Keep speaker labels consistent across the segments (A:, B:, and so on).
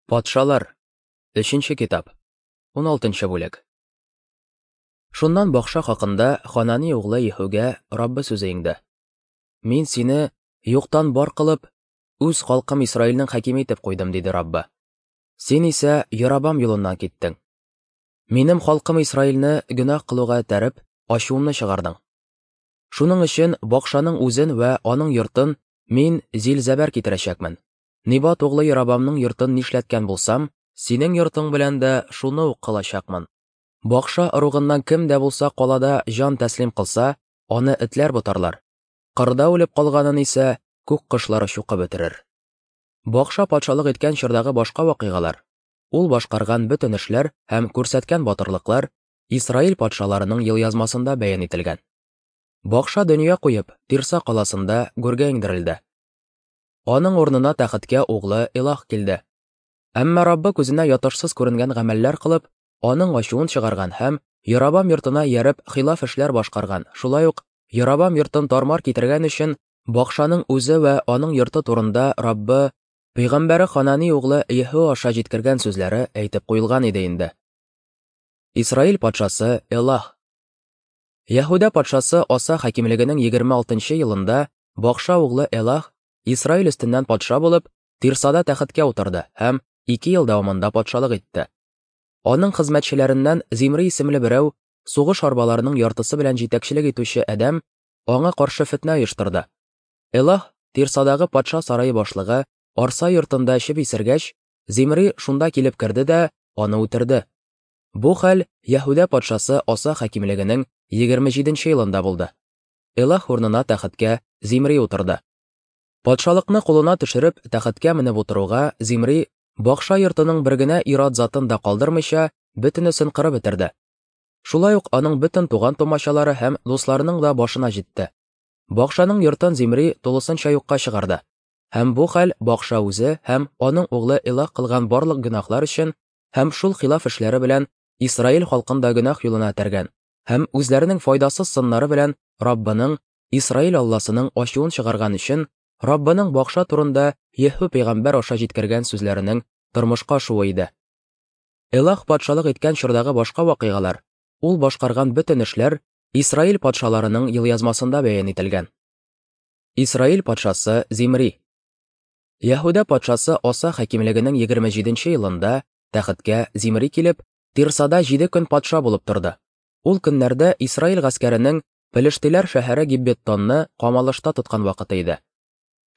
A: Патшалар. Өченче китап. 16 бүлек. Шуннан бакша хакында Ханани углы Еһүгә Раббы сүзе иңде. Мин сине юктан бар кылып, үз халкым Исраилнең хакиме итеп куйдым, диде Раббы. Син исә Ярабам юлыннан киттең. Минем халкым Исраилне гөнаһ кылуга этәреп, ачуымны чыгардың. Шуның өчен бакшаның үзен вә аның йортын мин зил-зәбәр китерәчәкмен. Нибат углы Ярабамның йортын нишләткән булсам, синең йортың белән дә шуны ук кылачакмын. Бакша ыругыннан кем дә булса калада җан тәслим кылса, аны этләр ботарлар. Кырда үлеп калганын исә күк кошлары чукып бетерер. Бакша патшалык иткән чордагы башка вакыйгалар, ул башкарган бөтен эшләр һәм күрсәткән батырлыклар Исраил патшаларының елъязмасында бәян ителгән. Бакша дөнья куеп, Тирса каласында гүргә иңдерелде. Аның урынына тәхеткә углы Элах килде. Әмма Раббы күзенә ятышсыз күренгән гамәлләр кылып, аның ачуын чыгарган һәм Ярабам йортына ияреп хилаф эшләр башкарган, шулай ук Ярабам йортын тармар китергән өчен Бакшаның үзе вә аның йорты турында Раббы пәйгамбәре Ханани углы Еһу аша җиткергән сүзләре әйтеп куелган иде инде. Исраил патшасы Элах. Яһүдә патшасы Аса хакимлегенең 26 елында Бакша углы Элах Исраил өстеннән патша булып, Тирсада тәхеткә утырды һәм 2 ел дәвамында патшалык итте. Аның хезмәтчеләреннән Зимри исемле берәү, сугыш арбаларының яртысы белән җитәкчелек итүче адәм, аңа каршы фетнә оештырды. Элах, Тирсадагы патша сарае башлыгы, Арса йортында эчеп исергәч, Зимри шунда килеп керде дә аны үтерде. Бу хәл Яһүдә патшасы Аса хакимлегенең 27 елында булды. Элах урынына тәхеткә Зимри утырды. Патшалыкны кулына төшереп, тәхеткә менеп утыруга, Зимри бакша йортының бер генә ир-ат затын да калдырмыйча, бөтенесен кырып бетерде. Шулай ук аның бөтен туган-тумачалары һәм дусларының да башына җитте. Бакшаның йортын Зимри тулысынча юкка чыгарды. Һәм бу хәл Бакша үзе һәм аның углы Элах кылган барлык гөнаһлар өчен һәм шул хилаф эшләре белән Исраил халкын да гөнаһ юлына этәргән һәм үзләренең файдасыз сыннары белән Раббының, Исраил Алласының ачуын чыгарган өчен Раббының бакша турында Еһу пәйгамбәр аша җиткергән сүзләренең тормышка ашуы иде. Элах патшалык иткән чордагы башка вакыйгалар, ул башкарган бөтен эшләр Исраил патшаларының елъязмасында бәян ителгән. Исраил патшасы Зимри. Яһүдә патшасы Аса хакимлегенең 27 елында тәхеткә Зимри килеп, Тирсада 7 көн патша булып торды. Ул көннәрдә Исраил гаскәренең Пелештиләр шәһәре Гиббеттонны камалышта тоткан вакыты иде.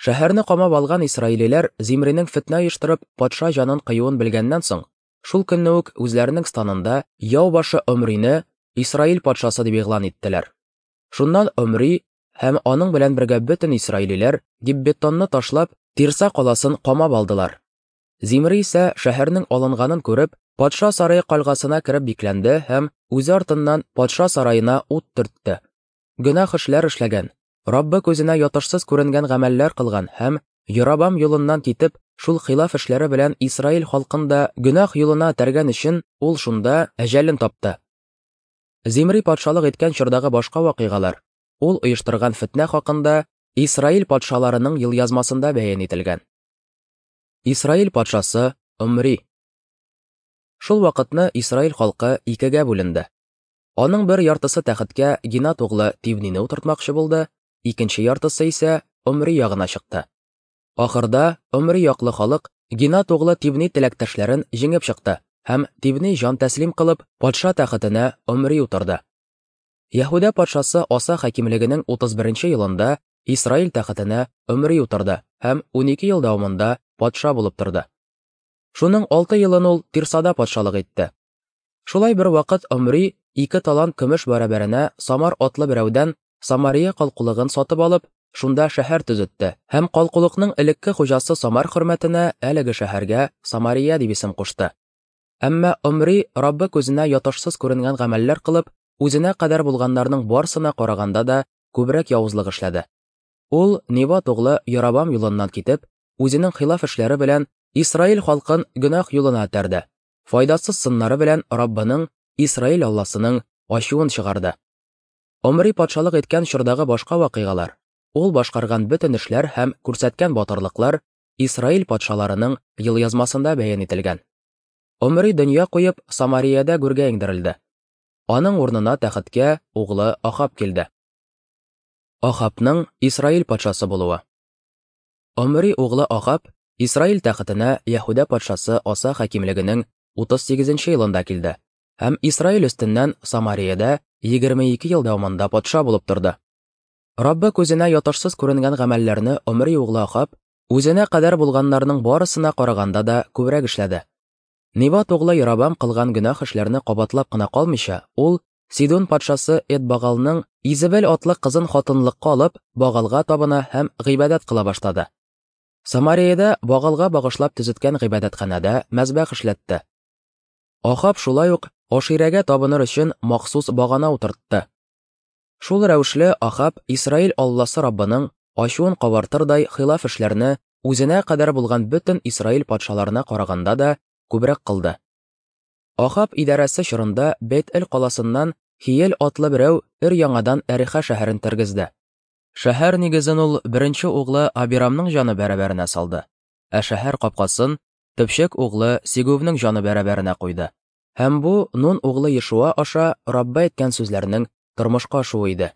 A: Шәһәрне камап алган исраилиләр Зимринең фетнә оештырып патша җанын кыюын белгәннән соң, шул көнне үк үзләренең станында яу башы Омрине Исраил патшасы дип игълан иттеләр. Шуннан Омри һәм аның белән бергә бөтен исраилиләр Гиббеттонны ташлап, Тирса каласын камап алдылар. Зимри исә шәһәрнең алынганын күреп, патша сарае кальгасына кереп бикләнде һәм үзе артыннан патша сараена ут төртте. Гөнаһ эшләр эшләгән, Раббы күзенә ятышсыз күренгән гамәлләр кылган һәм Ярабам юлыннан китеп, шул хилаф эшләре белән Исраил халкын да гөнаһ юлына этәргән өчен ул шунда әҗәлен тапты. Зимри патшалык иткән чордагы башка вакыйгалар, ул оештырган фетнә хакында Исраил патшаларының елъязмасында бәян ителгән. Исраил патшасы Омри. Шул вакытны Исраил халкы икегә бүленде. Аның бер яртысы тәхеткә Гинат углы Тивнине утыртмакчы булды, икенче яртысы исә Омри ягына чыкты. Ахырда Омри яклы халык Гинат углы Тивни теләктәшләрен җиңеп чыкты һәм Тивни җан тәслим кылып, патша тәхетенә Омри утырды. Яһүдә патшасы Аса хакимлегенең 31 елында Исраил тәхетенә Омри утырды һәм 12 ел дәвамында патша булып торды. Шуның 6 елын ул Тирсада патшалык итте. Шулай бер вакыт Омри 2 талант көмеш бәрабәренә Самар атлы берәүдән Самария калкулыгын сатып алып, шунда шәһәр төзетте һәм калкулыкның элекке хуҗасы Самар хөрмәтенә әлеге шәһәргә Самария дип исем кушты. Әмма Омри Раббы күзенә ятышсыз күренгән гамәлләр кылып, үзенә кадәр булганнарның барсына караганда да күбрәк явызлык эшләде. Ул Небат углы Ярабам юлыннан китеп, үзенең хилаф эшләре белән Исраил халкын гөнаһ юлына этәрде. Файдасыз сыннары белән Раббының, Исраил Алласының ачуын чыгарды. Омри патшалык иткән чордагы башка вакыйгалар, ул башкарган бөтен эшләр һәм күрсәткән батырлыклар Исраил патшаларының елъязмасында бәян ителгән. Омри дөнья куеп, Самариядә гүргә иңдерелде. Аның урынына тәхеткә углы Ахаб килде. Ахабның Исраил патшасы булуы. Омри углы Ахаб Исраил тәхетенә Яһүдә патшасы Аса хакимлегенең 38 нче елында килде һәм Исраил өстеннән Самариядә 22 ел дәвамында патша булып торды. Раббы күзенә ятышсыз күренгән гамәлләрне Омри углы Ахаб үзенә кадәр булганнарның барысына караганда да күбрәк эшләде. Небат углы Ярабам кылган гөнаһ эшләрне кабатлап кына калмыйча, ул Сидон патшасы Эдбагалның Изебел атлы кызын хатынлыкка алып, Багалга табына һәм гыйбадәт кыла башлады. Самариядә Багалга багышлап төзеткән гыйбадәтханәдә мәзбәх эшләтте. Ахаб шулай ук Аширәгә табыныр өчен махсус багана утыртты. Шул рәвешле Ахаб Исраил Алласы Раббының ачуын кабартырдай хилаф эшләрне үзенә кадәр булган бөтен Исраил патшаларына караганда да күбрәк кылды. Ахаб идарәсе чорында Бет-Эл каласыннан Хиел атлы берәү өр-яңадан Әриха шәһәрен тергезде. Шәһәр нигезен ул беренче углы Абирамның җаны бәрабәренә салды, ә шәһәр капкасын төпчек углы Сигувның җаны бәрабәренә куйды. Һәм бу Нун углы Ешуа аша Раббы әйткән сүзләрнең тормышка ашуы иде.